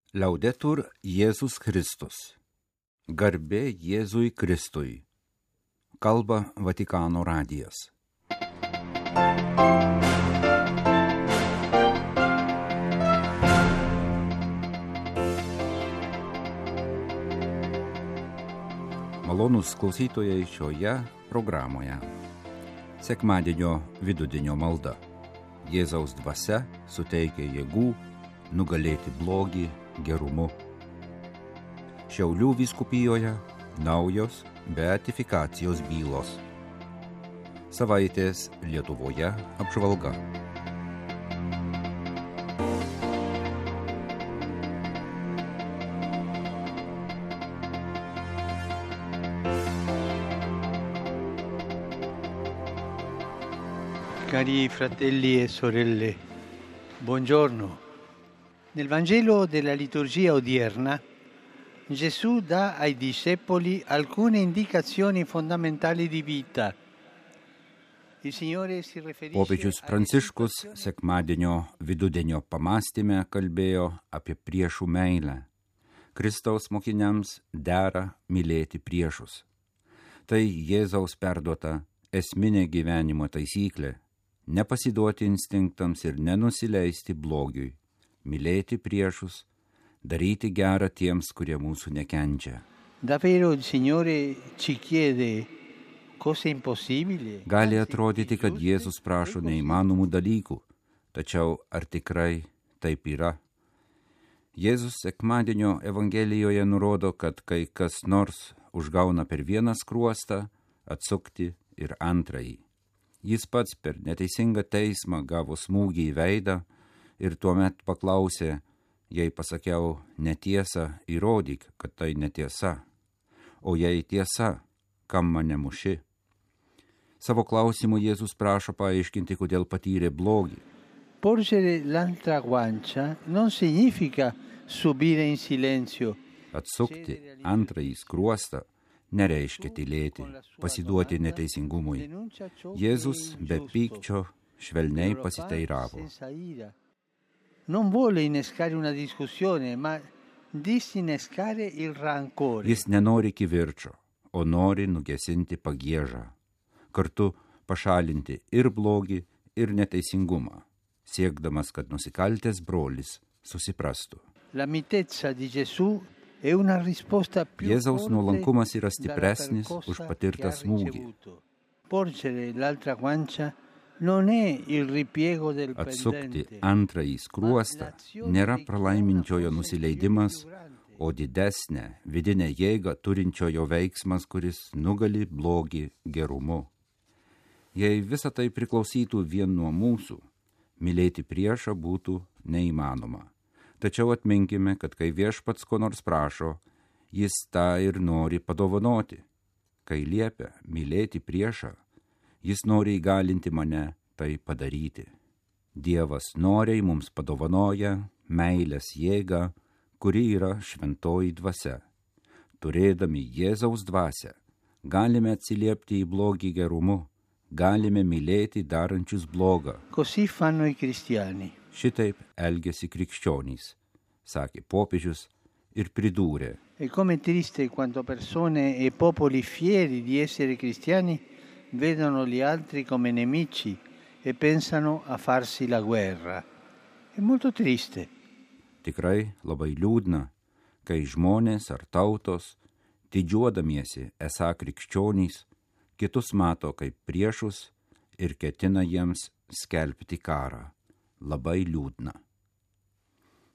Liaudetur Jėzus Kristus. Garbė Jėzui Kristui. Kalba Vatikano radijas. Malonūs klausytojai šioje programoje. Sekmadienio vidudienio malda. Jėzaus dvasia suteikia jėgų nugalėti blogį gerumu. Šiaulių vyskupijoje naujos beatifikacijos bylos. Savaitės Lietuvoje apžvalga. Cari fratelli e sorelle, buongiorno. Nel Vangelo della liturgia odierna, Gesù dà ai discepoli alcune indicazioni fondamentali di vita. Il Signore si riferisce Popiežius Pranciškus sekmadienio vidudienio pamąstyme kalbėjo apie priešų meilę. Kristaus mokiniams dera mylėti priešus. Tai Jėzaus perduota esminė gyvenimo taisyklė. Nepasiduoti instinktams ir nenusileisti blogiui, mylėti priešus, daryti gerą tiems, kurie mūsų nekenčia. Davvero il Signore ci chiede cose impossibili? Gali atrodyti, kad Jėzus prašo neįmanomų dalykų, tačiau ar tikrai taip yra? Jėzus sekmadienio Evangelijoje nurodo, kad kai kas nors užgauna per vieną skruostą, atsukti ir antrąjį. Jis pats per neteisingą teismą gavo smūgį į veidą ir tuomet paklausė, jei pasakiau netiesą, įrodyk, kad tai netiesa. O jei tiesa, kam mane muši? Savo klausimu Jėzus prašo paaiškinti, kodėl patyrė blogį. Porgere l'altra guancia non significa subire in silenzio. Atsukti antrąjį skruostą nereiškia tylėti, pasiduoti neteisingumui. Jėzus be pykčio švelniai pasiteiravo. Non vuole innescare una discussione, ma disinnescare il rancore. Jis nenori kivirčio, o nori nugesinti pagiežą, kartu pašalinti ir blogį, ir neteisingumą, siekdamas, kad nusikaltęs brolis susiprastų. La mitezza di Gesù è una risposta più Jėzaus forte nuolankumas yra dalla stipresnis percossa už che patirtą ha smūgį. ricevuto. Porgere l'altra guancia non è il ripiego del Atsukti perdente, antrąjį skruostą nėra pralaiminčiojo nusileidimas, o didesnė vidinė jėga turinčiojo veiksmas, kuris nugali blogį gerumu. Jei visa tai priklausytų vien nuo mūsų, mylėti priešą būtų neįmanoma. Tačiau atminkime, kad kai viešpats ko nors prašo, jis tą ir nori padovanoti. Kai liepia mylėti priešą, jis nori įgalinti mane tai padaryti. Dievas noriai mums padovanoja meilės jėgą, kuri yra šventoji dvasia. Turėdami Jėzaus dvasią, galime atsiliepti į blogį gerumu, galime mylėti darančius blogą. Così fanno i cristiani. Šitaip elgėsi krikščionys, sakė popiežius ir pridūrė. E come triste quando persone e popoli fieri di essere cristiani vedono gli altri come nemici e pensano a farsi la guerra. È molto triste. Tikrai labai liūdna, kai žmonės ar tautos, didžiuodamiesi esą krikščionys, kitus mato kaip priešus ir ketina jiems skelbti karą. Labai liūdna.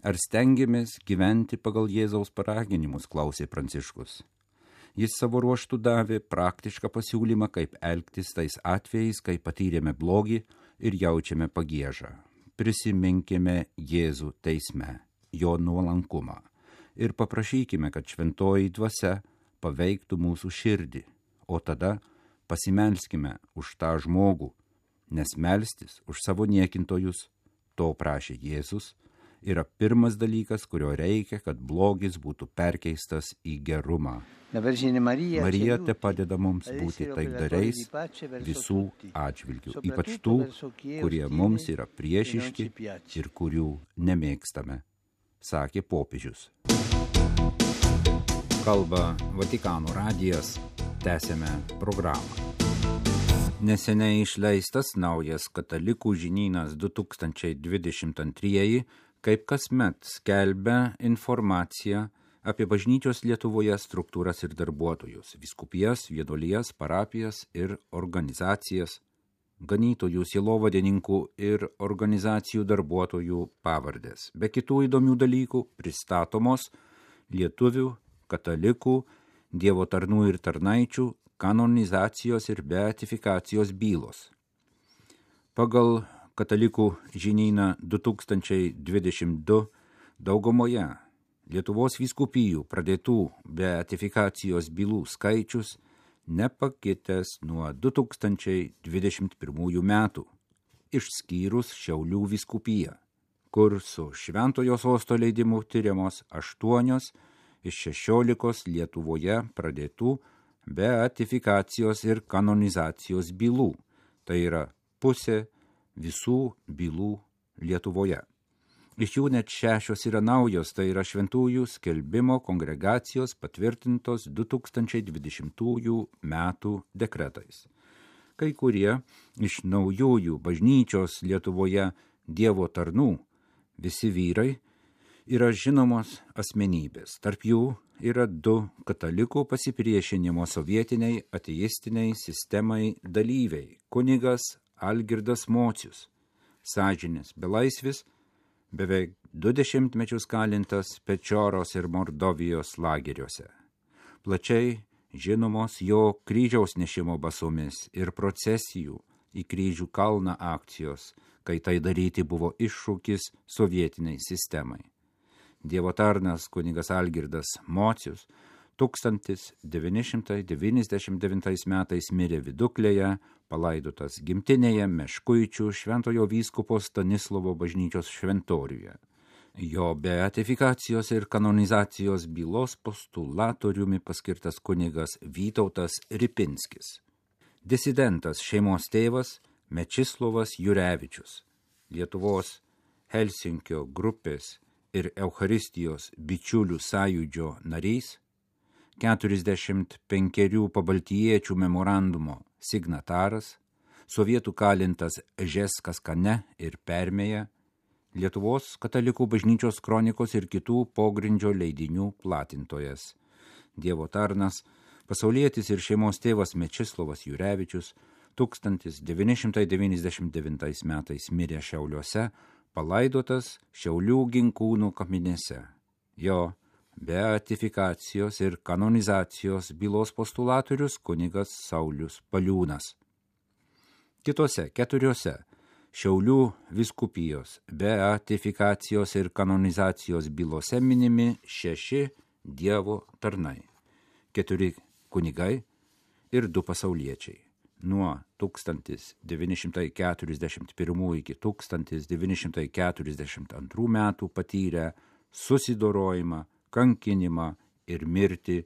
Ar stengiamės gyventi pagal Jėzaus paraginimus, klausė Pranciškus. Jis savo ruožtu davė praktišką pasiūlymą, kaip elgtis tais atvejais, kai patyrėme blogį ir jaučiame pagiežą. Prisiminkime Jėzų teisme, jo nuolankumą ir paprašykime, kad šventoji dvasia paveiktų mūsų širdį, o tada pasimelskime už tą žmogų, nes melstis už savo niekintojus, to prašė Jėzus, yra pirmas dalykas, kurio reikia, kad blogis būtų perkeistas į gerumą. Marija te padeda mums būti taikdariais visų atžvilgių, ypač tų, kurie mums yra priešiški ir kurių nemėgstame. sakė popiežius. Kalba Vatikano radijas, tęsiame programą. Neseniai išleistas naujas Katalikų žinynas 2022, kaip kasmet skelbia informaciją apie bažnyčios Lietuvoje struktūras ir darbuotojus, vyskupijas, vienuolijas, parapijas ir organizacijas, ganytojų, sielovadininkų ir organizacijų darbuotojų pavardės. Be kitų įdomių dalykų pristatomos lietuvių, katalikų, Dievo tarnų ir tarnaičių, kanonizacijos ir beatifikacijos bylos. Pagal Katalikų žinyną 2022 daugumoje Lietuvos vyskupijų pradėtų beatifikacijos bylų skaičius nepakitęs nuo 2021 metų, išskyrus Šiaulių vyskupiją, kur su Šventojo sosto leidimu tyriamos 8 iš 16 Lietuvoje pradėtų beatifikacijos ir kanonizacijos bylų, tai yra pusė visų bylų Lietuvoje. Iš jų net 6 yra naujos, tai yra šventųjų skelbimo kongregacijos patvirtintos 2020 metų dekretais. Kai kurie iš naujųjų bažnyčios Lietuvoje Dievo tarnų, visi vyrai, yra žinomos asmenybės. Tarp jų yra 2 katalikų pasipriešinimo sovietiniai ateistiniai sistemai dalyviai – kunigas Algirdas Mocius, sąžinės belaisvis, beveik 20 metus kalintas Pečoros ir Mordovijos lageriuose. Plačiai žinomos jo kryžiaus nešimo basomis ir procesijų į kryžių kalną akcijos, kai tai daryti buvo iššūkis sovietiniai sistemai. Dievo tarnas kunigas Algirdas Mocius 1999 metais mirė Viduklėje, palaidotas gimtinėje Meškuičių Šventojo vyskupo Stanislovo bažnyčios šventoriuje. Jo beatifikacijos ir kanonizacijos bylos postulatoriumi paskirtas kunigas Vytautas Ripinskis. Disidentas šeimos tėvas Mečislovas Jurevičius, Lietuvos Helsinkio grupės ir Eucharistijos bičiulių sąjūdžio narys, 45 pabaltijiečių memorandumo signataras, sovietų kalintas Žeskas Kane ir Permėje, Lietuvos katalikų bažnyčios kronikos ir kitų pogrindžio leidinių platintojas. Dievo tarnas, pasaulietis ir šeimos tėvas Mečislovas Jurevičius 1999 metais mirė Šiauliuose, palaidotas Šiaulių Ginkūnų kapinėse. Jo beatifikacijos ir kanonizacijos bylos postulatorius kunigas Saulius Paliūnas. Kitose 4 Šiaulių vyskupijos beatifikacijos ir kanonizacijos bylose minimi 6 Dievo tarnai, 4 kunigai ir 2 pasauliečiai. Nuo 1941 iki 1942 metų patyrę susidorojimą, kankinimą ir mirtį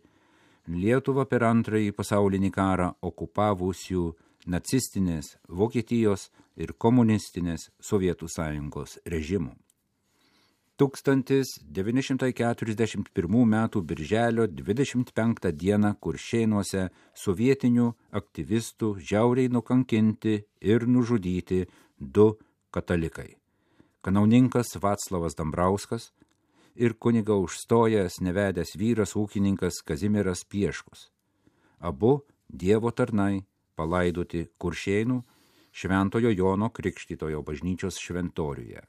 Lietuvą per Antrąjį pasaulinį karą okupavusių nacistinės Vokietijos ir komunistinės Sovietų Sąjungos režimų. 1941 metų birželio 25 dieną Kuršėnuose sovietinių aktyvistų žiauriai nukankinti ir nužudyti 2 katalikai – kanauninkas Vaclavas Dambrauskas ir kuniga užstojęs nevedęs vyras ūkininkas Kazimieras Pieškus. Abu Dievo tarnai palaidoti Kuršėnų Šventojo Jono Krikštytojo bažnyčios šventoriuje.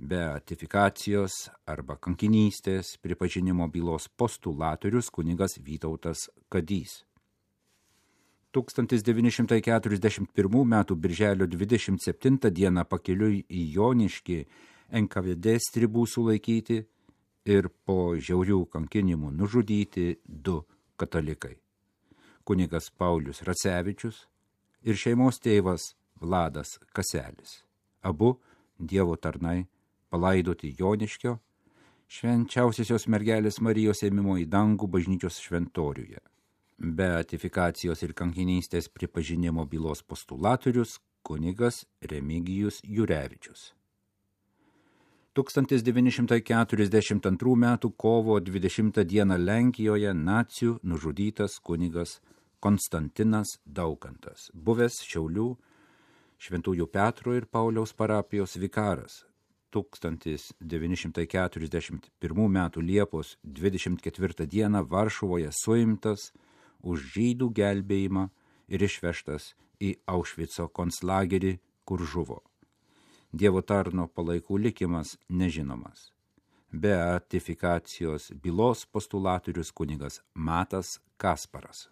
Beatifikacijos arba kankinystės pripažinimo bylos postulatorius kunigas Vytautas Kadys. 1941 metų birželio 27 dieną pakeliui į Joniškį NKVD stribų sulaikyti ir po žiaurių kankinimų nužudyti 2 katalikai – kunigas Paulius Racevičius ir šeimos tėvas Vladas Kaselis. Abu Dievo tarnai palaidoti Joniškio Švenčiausiosios mergelės Marijos ėmimo į dangų bažnyčios šventoriuje. Beatifikacijos ir kankinystės pripažinimo bylos postulatorius kunigas Remigijus Jurevičius. 1942 m. kovo 20 d. Lenkijoje nacių nužudytas kunigas Konstantinas Daukantas, buvęs Šiaulių Šventųjų Petro ir Pauliaus parapijos vikaras. 1941 m. Liepos 24 d. Varšuvoje suimtas už žydų gelbėjimą ir išvežtas į Aušvico konclagerį, kur žuvo. Dievo tarno palaikų likimas nežinomas. Beatifikacijos bylos postulatorius kunigas Matas Kasparas.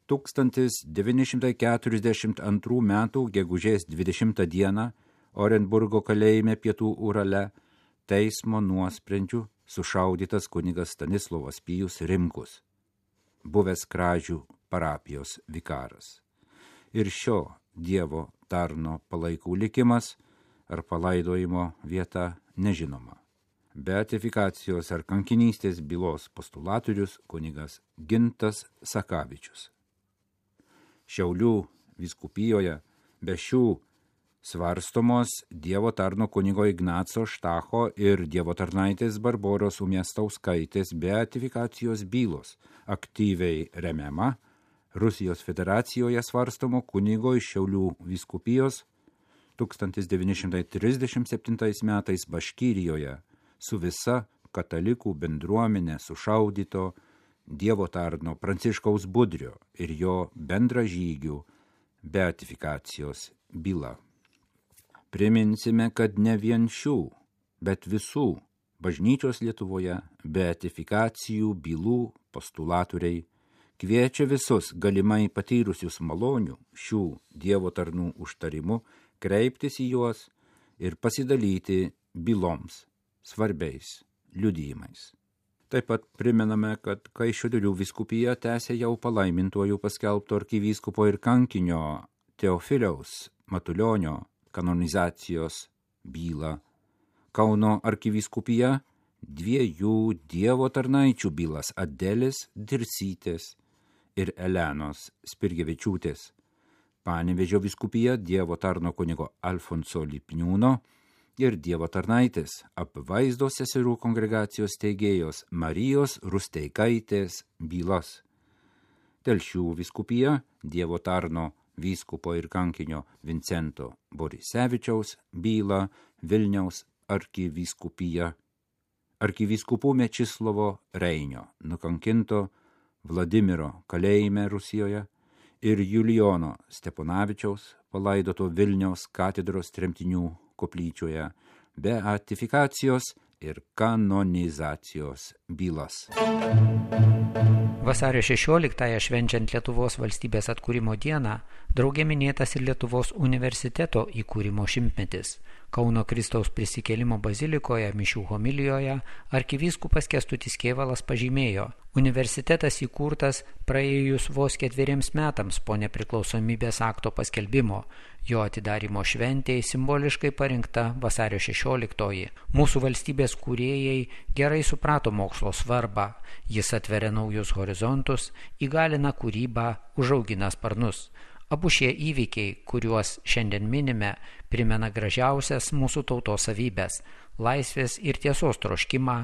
1942 m. gegužės 20 d. Orenburgo kalėjime Pietų Urale teismo nuosprendžiu sušaudytas kunigas Stanislovas Pijus Rimkus, buvęs Kražių parapijos vikaras. Ir šio Dievo tarno palaikų likimas ar palaidojimo vieta nežinoma. Beatifikacijos ar kankinystės bylos postulatorius kunigas Gintas Sakavičius. Šiaulių vyskupijoje be šių svarstomos Dievo tarno kunigo Ignaco Štacho ir Dievo tarnaitės Barboros Umiastauskaitės beatifikacijos bylos aktyviai remiama Rusijos federacijoje svarstomo kunigo iš Šiaulių vyskupijos 1937 metais Baškyrijoje su visa katalikų bendruomenė sušaudyto Dievo tarno Pranciškaus Budrio ir jo bendražygių beatifikacijos byla. Priminsime, kad ne vien šių, bet visų bažnyčios Lietuvoje beatifikacijų bylų postulatoriai kviečia visus galimai patyrusius malonių šių Dievo tarnų užtarimu kreiptis į juos ir pasidalyti byloms svarbiais liudijimais. Taip pat primename, kad Kaišiadorių vyskupija tęsia jau palaimintuoju paskelbto arkivyskupo ir kankinio Teofiliaus Matulionio kanonizacijos bylą. Kauno arkivyskupija 2 Dievo tarnaičių bylas Adelės Dirsytės ir Elenos Spirgevičiūtės. Panevėžio vyskupija Dievo tarno kunigo Alfonso Lipniūno ir Dievo tarnaitės Apvaizdos seserų kongregacijos steigėjos Marijos Rusteikaitės bylas. Telšių vyskupija Dievo tarno vyskupo ir kankinio Vincento Borisevičiaus bylą Vilniaus arkivyskupija. Arkivyskupų Mečislovo Reinio nukankinto Vladimiro kalėjime Rusijoje ir Julijono Steponavičiaus palaidoto Vilniaus katedros tremtinių koplyčioje beatifikacijos ir kanonizacijos bylas. Vasario 16-ąją švenčiant Lietuvos valstybės atkūrimo dieną, drauge minėtas ir Lietuvos universiteto įkūrimo šimtmetis. Kauno Kristaus prisikėlimo bazilikoje mišių homilijoje arkivyskupas Kęstutis Kėvalas pažymėjo, universitetas įkurtas praėjus vos 4 metams po nepriklausomybės akto paskelbimo. Jo atidarymo šventėje simboliškai parinkta vasario 16-oji. Mūsų valstybės kūrėjai gerai suprato mokslo svarbą. Jis atveria naujus horizontus, įgalina kūrybą, užaugina sparnus. Abu šie įvykiai, kuriuos šiandien minime, primena gražiausias mūsų tautos savybės – laisvės ir tiesos troškimą,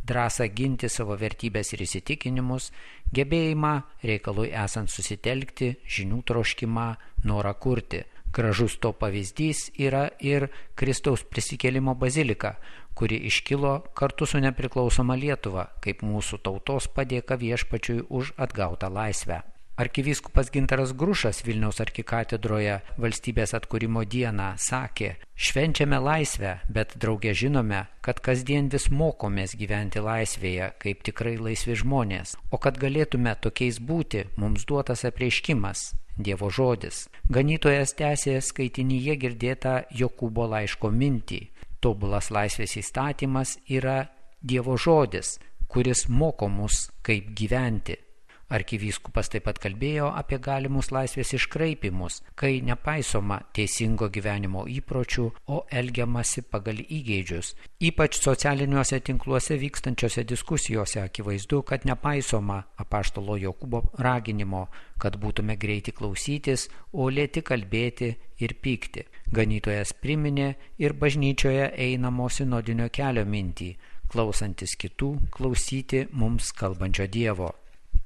drąsą ginti savo vertybės ir įsitikinimus, gebėjimą reikalui esant susitelkti, žinių troškimą, norą kurti. Gražus to pavyzdys yra ir Kristaus prisikėlimo bazilika, kuri iškilo kartu su nepriklausoma Lietuva, kaip mūsų tautos padėka viešpačiui už atgautą laisvę. Arkivyskupas Gintaras Grušas Vilniaus arkikatedroje valstybės atkūrimo dieną sakė: švenčiame laisvę, bet drauge žinome, kad kasdien vis mokomės gyventi laisvėje, kaip tikrai laisvi žmonės. O kad galėtume tokiais būti, mums duotas apreiškimas, Dievo žodis. Ganytojas tęsė skaitinyje girdėtą Jokūbo laiško mintį. Tobulas laisvės įstatymas yra Dievo žodis, kuris moko mus, kaip gyventi. Arkivyskupas taip pat kalbėjo apie galimus laisvės iškraipimus, kai nepaisoma teisingo gyvenimo įpročių, o elgiamasi pagal įgeidžius. Ypač socialiniuose tinkluose vykstančiose diskusijose akivaizdu, kad nepaisoma apaštalo Jokūbo raginimo, kad būtume greiti klausytis, o lėti kalbėti ir pykti. Ganytojas priminė ir bažnyčioje einamo sinodinio kelio mintį, klausantis kitų, klausyti mums kalbančio Dievo.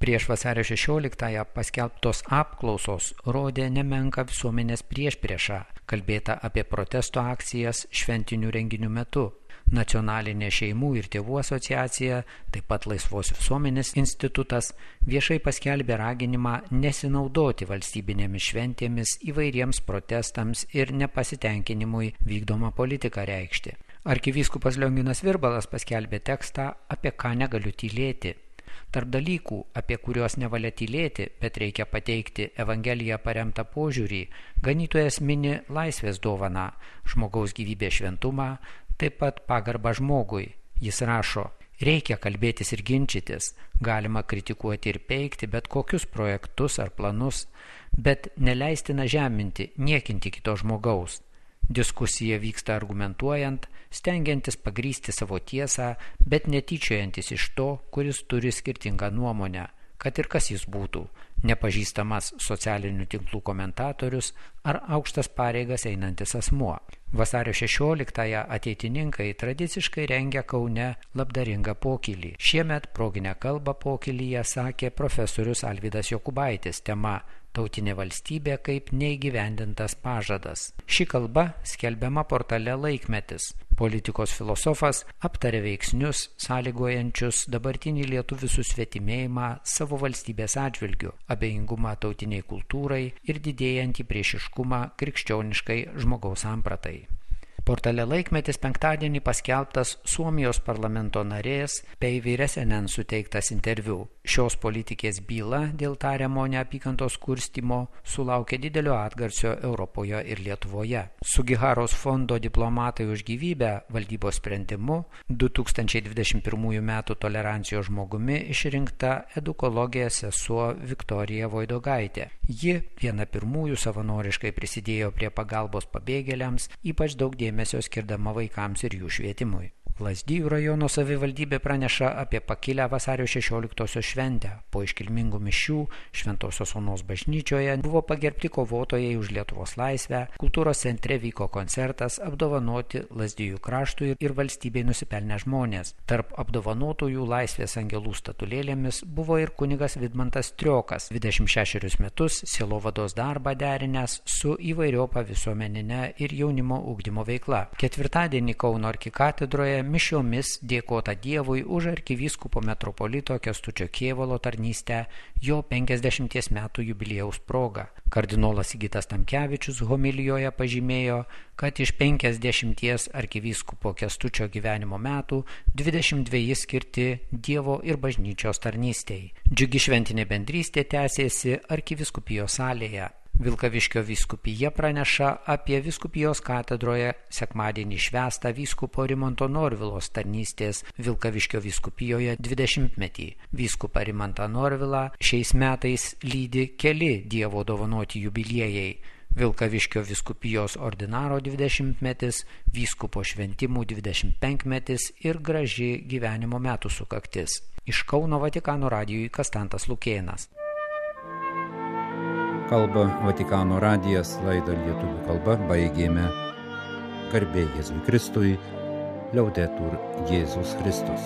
Prieš vasario 16-ąją paskelbtos apklausos rodė nemenką visuomenės priešpriešą, kalbėta apie protesto akcijas šventinių renginių metu. Nacionalinė šeimų ir tėvų asociacija, taip pat Laisvos visuomenės institutas viešai paskelbė raginimą nesinaudoti valstybinėmis šventėmis įvairiems protestams ir nepasitenkinimui vykdomą politiką reikšti. Arkivyskupas Lionginas Virbalas paskelbė tekstą Apie ką negaliu tylėti. Tarp dalykų, apie kuriuos nevalia tylėti, bet reikia pateikti Evangeliją paremtą požiūrį, ganytojas mini laisvės dovaną, žmogaus gyvybės šventumą, taip pat pagarbą žmogui. Jis rašo, reikia kalbėtis ir ginčytis, galima kritikuoti ir peikti bet kokius projektus ar planus, bet neleistina žeminti, niekinti kito žmogaus. Diskusija vyksta argumentuojant, stengiantis pagrįsti savo tiesą, bet netyčiojantis iš to, kuris turi skirtingą nuomonę, kad ir kas jis būtų, nepažįstamas socialinių tinklų komentatorius ar aukštas pareigas einantis asmuo. Vasario 16-ąją ateitininkai tradiciškai rengia Kaune labdaringą pokylį. Šiemet proginę kalbą pokylyje sakė profesorius Alvydas Jokubaitis, tema Tautinė valstybė kaip neįgyvendintas pažadas. Ši kalba skelbiama portale Laikmetis. Politikos filosofas aptarė veiksnius, sąlygojančius dabartinį lietuvių susvetimėjimą savo valstybės atžvilgiu, abejingumą tautiniai kultūrai ir didėjantį priešiškumą krikščioniškai žmogaus sampratai. Portale Laikmetis penktadienį paskelbtas Suomijos parlamento narės Päivi Räsänen suteiktas interviu. Šios politikės byla dėl tariamo neapykantos kurstymo sulaukė didelio atgarsio Europoje ir Lietuvoje. Sugiharos fondo Diplomatai už gyvybę valdybos sprendimu 2021 m. tolerancijos žmogumi išrinkta edukologė sesuo Viktorija Voidogaitė. Ji viena pirmųjų savanoriškai prisidėjo prie pagalbos pabėgėliams, ypač daug dėmesio skirdama vaikams ir jų švietimui. Lazdijų rajono savivaldybė praneša apie pakilę vasario 16-osios šventę. Po iškilmingų mišių Šventosios Onos bažnyčioje buvo pagerbti kovotojai už Lietuvos laisvę, kultūros centre vyko koncertas apdovanoti Lazdijų kraštui ir valstybei nusipelnę žmonės. Tarp apdovanotųjų laisvės angelų statulėlėmis buvo ir kunigas Vidmantas Triokas, 26 metus sielovados darbą derinęs su įvairiopa visuomeninė ir jaunimo ugdymo veikla. Ketvirtadienį Kauno arkikatedroje mišiomis dėkota Dievui už arkivyskupo metropolito Kęstučio Kėvalo tarnystę jo 50 metų jubiliejaus proga. Kardinolas Sigitas Tamkevičius homilijoje pažymėjo, kad iš 50 arkivyskupo Kęstučio gyvenimo metų 22 skirti Dievo ir bažnyčios tarnystei. Džiugi šventinė bendrystė tęsėsi arkivyskupijos salėje. Vilkaviškio vyskupija praneša apie vyskupijos katedroje sekmadienį švęstą vyskupo Rimanto Norvilos tarnystės Vilkaviškio vyskupijoje 20-metį. Vyskupą Rimantą Norvilą šiais metais lydi keli Dievo dovanoti jubiliejai. Vilkaviškio vyskupijos ordinaro 20-metis, vyskupo šventimų 25-metis ir graži gyvenimo metų sukaktis. Iš Kauno Vatikano radijui Kastantas Lukėnas. Kalba Vatikano radijas, laidą lietuvių kalba baigėme. Garbė Jėzui Kristui, Liaudetur Jėzus Kristus.